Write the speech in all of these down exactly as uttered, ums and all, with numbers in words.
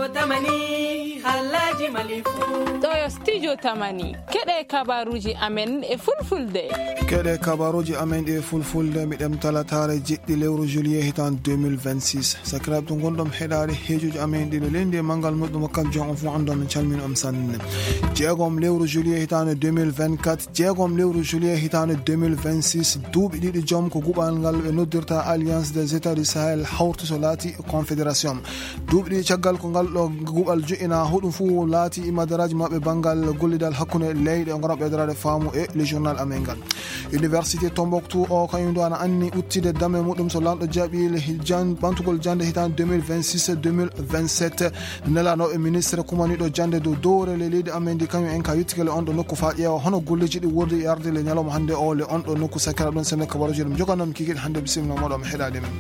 Tamani, halaji malifu. Ɗo yo studio Tamani. Keɗe kabaruji amen e fulfulde. Keɗe kabaruji amen e fulfulde, mi ɗem talatare jeɗɗi lewru juillet hitan deux mille vingt-six. Sakiraaɓe to ngonɗon heɗaade heejuji amen ɗiɗo leydi e manngal muɗum, kam jom on fof anndon, min calmini on sanne. Jeegom lewru juillet hitaande deux mille vingt-quatre, jeegom lewru juillet hitaande deux mille vingt-six, duuɓi ɗiɗi jom ko guɓal ngal ɓe noddirta Alliance des États du Sahel hawti so laati confédération. Duuɓi ɗiɗi caggal ko ngal ɗo guɓal jo'ina, hoɗum fof laati imadaraaji maɓɓe banngal gollidal hakkunde leyɗe, o ngara ɓeydoraade faamu e le journal amen ngal. Université Tombouctou o kañum ɗo ana anni uttide dame muɗum so lanɗo jaɓi le hi-, jan-, ɓantugol jannde hitaande deux mille vingt-six deux mille vingt-sept. Nelanooɓe ministre kumaniiɗo jannde dow dowre le leydi amen ndi, kañum en ka yettikele on ɗo nokku faa ƴeewa hono golleeji ɗi wordi e arde le ñalawma hannde o le on ɗo nokku. Sakkira ɗon sene kabaruji ɗum joganoo mi kikiɗe hannde, bisimilla mooɗon mi heɗaade men.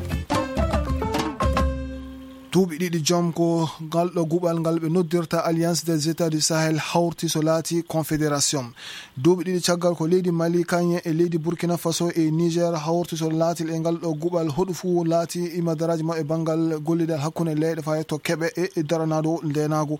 Duuɓi ɗiɗi jom ko ngal ɗo guɓal ngal ɓe noddirta Alliance des États du Sahel hawti so laati confédération. Duuɓi ɗiɗi caggal ko leydi Mali, kañum e leydi Burkina Faso e Niger hawti so laatil e ngal ɗo guɓal, hoɗu fuu laati imadaraaji maɓɓe banngal gollidal hakkunde leyɗe faa yetto keɓe e, e daranaado ndeenaagu.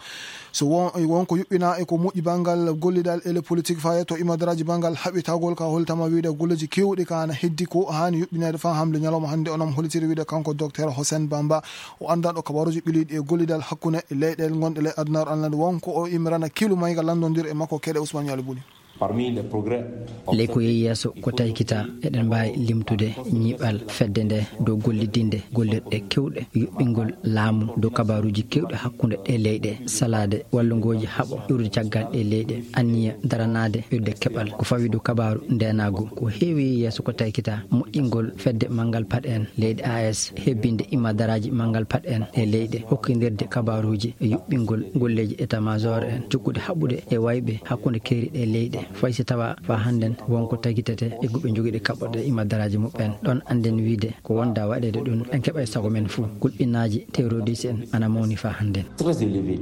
So won, won ko yuɓɓina e ko moƴƴi banngal gollidal e le politique faa yetto imadaraaji banngal haɓitagol ka holtama wiide golleeji keewɗi ka ana heddi ko haani yuɓɓineede faa hamle ñalawma hannde onon holitiri wiide kanko docteur Hossein Bamba, o anndanɗo kabaruuji ɓiliiɗi e gollidal hakkunde leyɗe ngonɗe le adunaaru alnande won ko o imrana kilu mayga lanndondir e makko keɗe Ousmane Yali Buni. Parmi les progrès. Ley ko yehi yeeso ko taykita, eɗen mbaawi limtude ñiiɓal fedde nde dow gollidinde gollirɗe keewɗe, yuɓɓingol laamu dow kabaruuji keewɗi hakkunde ɗe leyɗe, salaade wallungooji haɓo iwrude caggal ɗe leyɗe, anniya daranaade ɓeydude keɓal ko fawi dow kabaaru ndeenaagu. Ko heewi yeeso ko taykita, moƴƴingol fedde manngal paɗe en leyɗe A S, hebbinde imadaraaji manngal paɗe en e leyɗe, hokkindirde kabaaruuji e yuɓɓingol golleeji état-major en, jokkude haɓude e wayɓe hakkunde keeri ɗe leyɗe, fay si tawa faa hannden won ko tagitete e guɓe jogiiɗe kaɓɓoɗe imadaraaji muɓɓen. Ɗon annden wiide ko wonda waɗeede ɗum, en keɓay sago men fuu. Kulɓinaaji terroriste en ana mawni faa hannden. Très élevé.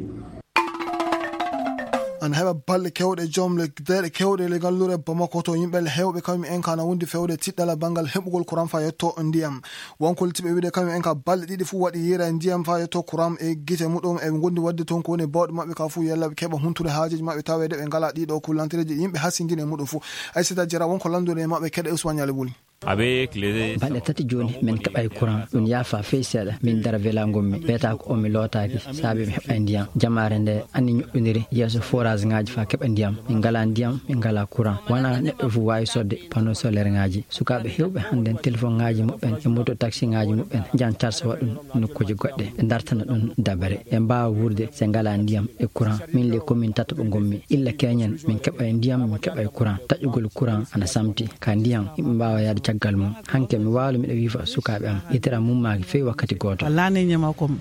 Ana heɓa balɗe keewɗe, jom le deeɗe keewɗe le ngalluure Bamako to yimɓe le heewɓe kañum en ka ana wondi fewde tiɗɗala banngal heɓugol courant faa yetto ndiyam. Won ko litiɓe wiide kañum en ka balɗe ɗiɗi fuu waɗi yiira e ndiyam faa yetto courant e gite muɗum e ngondi wadde toon ko woni bawɗe maɓɓe ka fuu yalla ɓe keɓa huntude haajeeji maɓɓe taweede ɓe ngalaa ɗiɗo kullantereeji yimɓe hasindini e muɗum fuu. Aysata Jara won ko lanndunoo e maɓɓe keɗe Ousmane Yali Buli. Avec les balɗe tati jooni, min keɓay courant. Ɗum yaafa fey seeɗa. Min dara vela ngonmi. Ɓeeta ko o mi lootaaki, saabi mi heɓay ndiyam. Jamaare nde anni ñoƴƴondiri yeeso forage ŋaaji faa keɓa ndiyam. Min ngalaa ndiyam, min ngalaa courant. Wonaa neɗɗo fof waawi soodde panneau solaire ŋaaji. Sukaaɓe heewɓe hannden téléphone ŋaaji muɓɓen e moto taxi ŋaaji muɓɓen njahan carsa waɗa ɗum nokkuuji goɗɗe. Ɓe dartana ɗum dabare. Ɓe mbaawa wuurde so ngalaa ndiyam e courant. Min le commune tataɓo ngonmi. Illa keñen, min keɓay ndiyam, min keɓay courant. Taƴugol courant ana samti. Ka ndiyam, yimɓe mbaawa yahde caggal mum. Hanke mi waalo miɗa wiifa sukaaɓe am. Yitere am mummaaki fey wakkati gooto. Wallaahi ne ñama kom.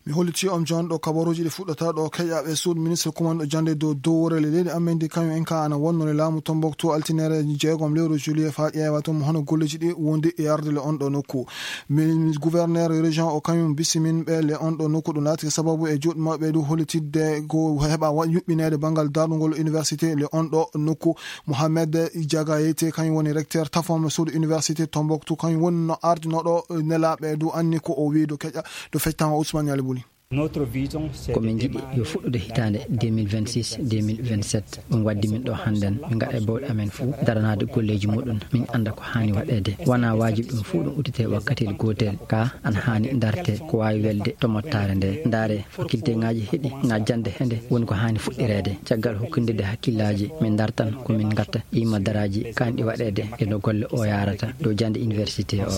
Mi hollitii on jooni ɗo kabaruuji ɗi fuɗɗata ɗo keƴaaɓe suudu ministre kumanɗo jannde dow dowre le leydi amen ndi, kañum en ka ana wonnoo e laamu Tombouctou altinere jeegom lewru juillet faa ƴeewa toon hono golleeji ɗi wondi e arde le on ɗo nokku. Min gouverneur région o kañum bisimin ɓe le on ɗo nokku, ɗum laati sababu e juuɗe maɓɓe du hollitidde ko heɓa wa-, yuɓɓineede banngal darnugol université le on ɗo nokku. Mohamed Diagayete kañum woni recteur tafom suudu université Tombouctou, kañum woni no ardinooɗo nelaaɓe du anni ko o wii do keƴa do fectan o Ousmane Yali Buli. Ko min njiɗi yo fuɗɗude hitaande deux mille vingt-six deux mille vingt-sept. Ɗum waddi min ɗo hannden, min ngaɗa e bawɗe amen fuu daranaade golleeji muɗum, min annda ko haani waɗeede. Wonaa waajib ɗum fuu ɗum udditee wakkatiil gootel, ka ana haani dartee ko waawi welde to mottaare nde. Ndaaree faculté ŋaaji heɗi, na jannde hende woni ko haani fuɗɗireede. Caggal hokkindirde hakkillaaji, min dartan ko min ngatta imadaraaji kaanɗi waɗeede e no golle o yaarata dow jannde université o.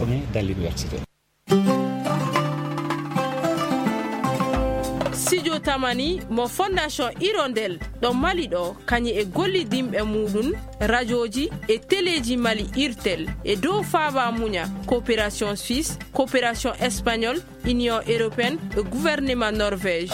Studio Tamani mo Fondation Hirondelle ɗo Mali ɗo, kañum e gollidinɓe muɗum, rajooji e teleeji Mali, Irtel, e dow faaba muña, coopération suisse, coopération espagnole, Union européenne e gouvernement Norvège.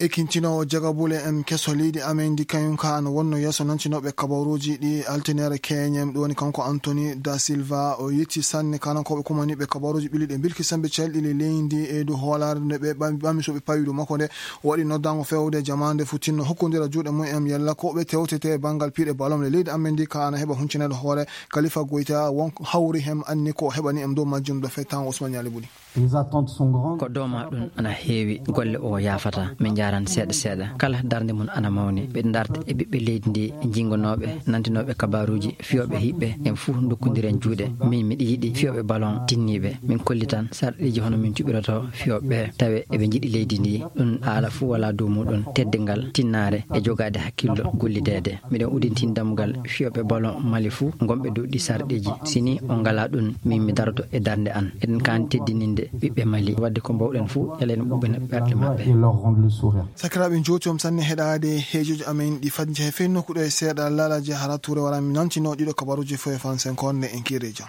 Ekintinoowo jagabule en keso leydi amen ndi kañum ka ana wonno yeeso nantinooɓe kabaruuji ɗi altineere K N M, ɗum woni kanko Anthony da Silva. O yetti sanne kanankooɓe kumaniiɓe kabaruuji ɓilliiɗi e bilkisamɓe calɗi leydi e dow hoolaare nde ɓe ɓam-, ɓami so ɓe pawi dow makko nde. O waɗi noddaango feewde jamaande fu tinno hokkondira juuɗe mum en yalla ko ɓe tewtete e banngal piiɗe ballon nde leydi amen ndi ka ana heɓa huncinaade hoore. Khalifa Goïta won hawri hem anni ko heɓani em dow majjum ɗo fettango Ousmane Yali Buli. Les attentes sont grandes. Ko dooma ɗum ana heewi, golle o yaafata, min njaran seeɗa seeɗa. Kala darnde mum ana mawni. Ɓe darta e ɓiɓɓe leydi ndi, jingonooɓe, nantinooɓe kabaruuji, fiyooɓe hiɓɓe, en fuu ndokkondiren juuɗe. Min miɗa yiɗi fiyooɓe ballon tinniiɓe. Min kollitan sarɗiiji hono min cuɓirotoo fiyooɓe ɓe, tawe eɓe njiɗi leydi ndi. Ɗum haala fuu wala dow muɗum. Teddingal, tinnaare e jogaade hakkillo gollideede. Miɗen udditin dammugal fiyooɓe ballon Mali fuu, ngonɓe dow ɗi sarɗiiji. Si ni on ngalaa ɗum, min mi daroto e darnde an. Eɗen kaani teddininde ɓiɓɓe Mali. Waɗde ko mbawɗen fuu, yalla en ɓuɓɓina ɓerɗe maɓɓe. Et leur rendre le sourire. Sakiraaɓe, njootom sanne heɗaade heejoji amen ɗi fadde he fey nokkuɗo e seeɗa laalaaji hara Tuure wara mi nantino ɗiɗo kabaruuji fof e fansen konde en kiire jam.